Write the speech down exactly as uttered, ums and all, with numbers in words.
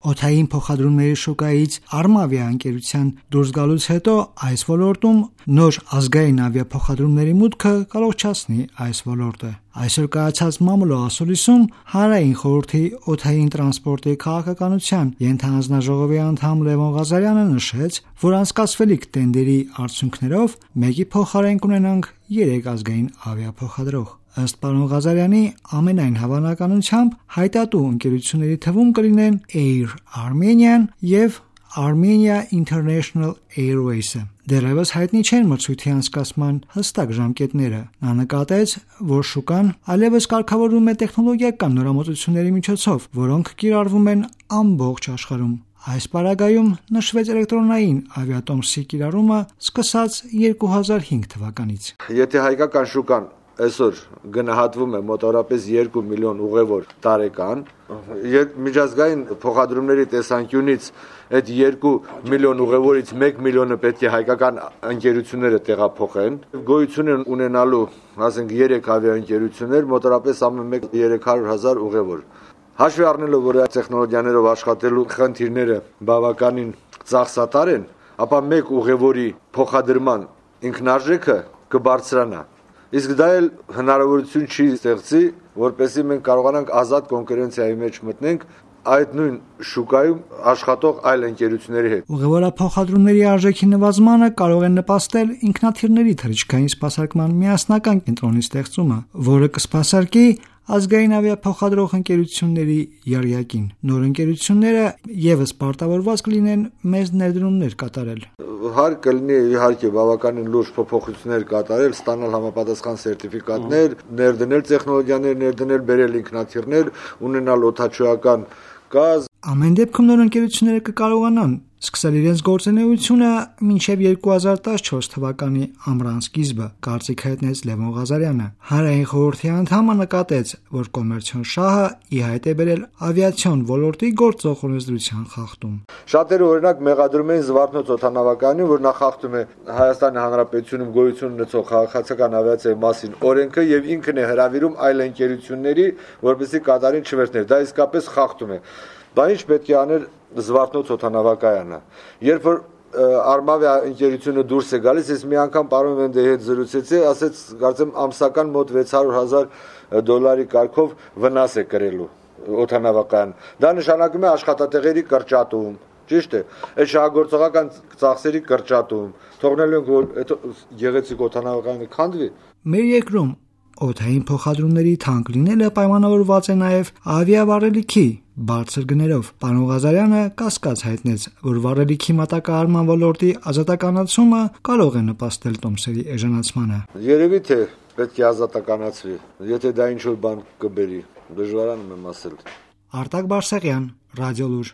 Օդային փոխադրումների շուկայից Arma ավիաընկերության դուրս գալուց հետո այս ոլորտում նոր ազգային ավիափոխադրումների մուտքը կառողջացնի այս ոլորտը։ Այսօր կայացած մամուլո ասուլիսում Հանրային խորհրդի օդային տրանսպորտի քաղաքականության ենթահանձնաժողովի անդամ Լևոն Ղազարյանը նշեց, որ անցկացվելիք տենդերի արդյունքներով մեկի փոխարեն կունենանք երեք ազգային ավիափոխադրող։ Ըստ պարոն Ղազարյանի, ամենայն հավանականությամբ հայտատու ընկերությունների թվում կլինեն Air Armenian եւ Armenia International Airways-ը։ Դեռևս հայտնի չեն մրցույթի անցկացման հստակ ժամկետները։ Նա նկատեց, որ շուկան այլևս կարգավորվում է տեխնոլոգիական նորամուծությունների միջոցով, որոնք կիրառվում են ամբողջ աշխարհում։ Այս պարագայում նշվեց էլեկտրոնային ավիատոմսի կիրառումը սկսած երկու հազար հինգ թվականից։ Եթե հայկական շուկան այսօր գնահատվում է մոտավորապես երկու միլիոն ուղևոր տարեկան, միջազգային փոխադրումների տեսանկյունից այդ երկու միլիոն ուղևորից մեկ միլիոնը պետք է հայկական ընկերությունները տեղափոխեն, գոյություն են ունենալու, ասենք երեք ավիաընկերություններ, մոտավորապես ամեն մեկ երեք հարյուր հազար ուղևոր։ Հաշվի առնելով, որ այդ տեխնոլոգիաներով աշխատելու խնդիրները բավականին ծախսատար են, ապա մեկ ուղևորի փոխադրման ինքնարժեքը կբարձրանա։ Իսկ դա էլ հնարավորություն չի ստեղծի, որպեսզի մենք կարողանանք ազատ կոնկուրենցիայի մեջ մտնենք այդ նույն շուկայում աշխատող այլ ընկերությունների հետ։ Ուղևորափոխադրումների արժեքի նվազմանը կարող է նպաստել ինքնաթիռների թռիչքային սպասարկման միասնական կենտրոնի ստեղծումը, որը կսպասարկի ազգային ավիափոխադրող ընկերությունների եռյակին։ Նոր ընկերությունները եւս պարտավորված կլինեն մեծ ներդրումներ կատարել։ Հարկ կլինի իհարկե բավականին լուրջ փոփոխություններ կատարել, ստանալ համապատասխան սերտիֆիկատներ, ներդնել տեխնոլոգիաներ, ներդնել բերել ինքնաթիռներ, ունենալ օդաչուական գազ։ Ամեն դեպքում նոր ընկերությունները կկարողանան սկսել իրենց գործունեությունը մինչև երկու հազար տասնչորս թվականի ամռան սկիզբը, կարծիք հայտնեց Լևոն Ղազարյանը։ Հանրային խորհրդի անդամը նկատեց, որ կոմերցիոն շահը ի հայտ է բերել ավիացիոն ոլորտի գործող օրենսդրության խախտում։ Շատերը օրինակ մեղադրում էին Զվարթնոց օդանավակայանին, որ նա խախտում է Հայաստանի Հանրապետությունում գոյություն ունեցող քաղաքացիական ավիացիայի մասին օրենքը եւ ինքն է հրավիրում այլ ընկերությունների, որպեսզի կատարեն չվերթներ։ Դա իսկապես խախտում է։ Դա ինչ պետք է աներ Զվարթնոց օդանավակայանը։ Երբ որ Armavia ընկերությունը դուրս է գալիս, ես մի անգամ պարոն Վենդեի հետ զրուցեցի, ասեց, կարծեմ ամսական մոտ վեց հարյուր հազար դոլարի կարգով վնաս է կրելու օդանավակայան։ Դա նշանակում է աշխատատեղերի կրճատում, ճիշտ է։ Այդ շահագործողական ծախսերի կրճատում։ Թողնելու ենք, որ այդ գեղեցիկ օդանավակայանը քանդվի։ Մեր երկրում օդային փոխադրումների թանկ լինելը պայմանավորված է նաև ավիավառելիքի բարձր գներով։ Պարոն Ղազարյանը կասկած հայտնեց, որ վառելիքի մատակարարման ոլորտի ազատականացումը կարող է նպաստել տոմսերի էժանացմանը։ Երևի թե պետք է ազատականացվի, եթե դա ինչ-որ բան կբերի, դժվարանում եմ ասել։ Արտակ Բարսեղյան, Ռադիոլուր։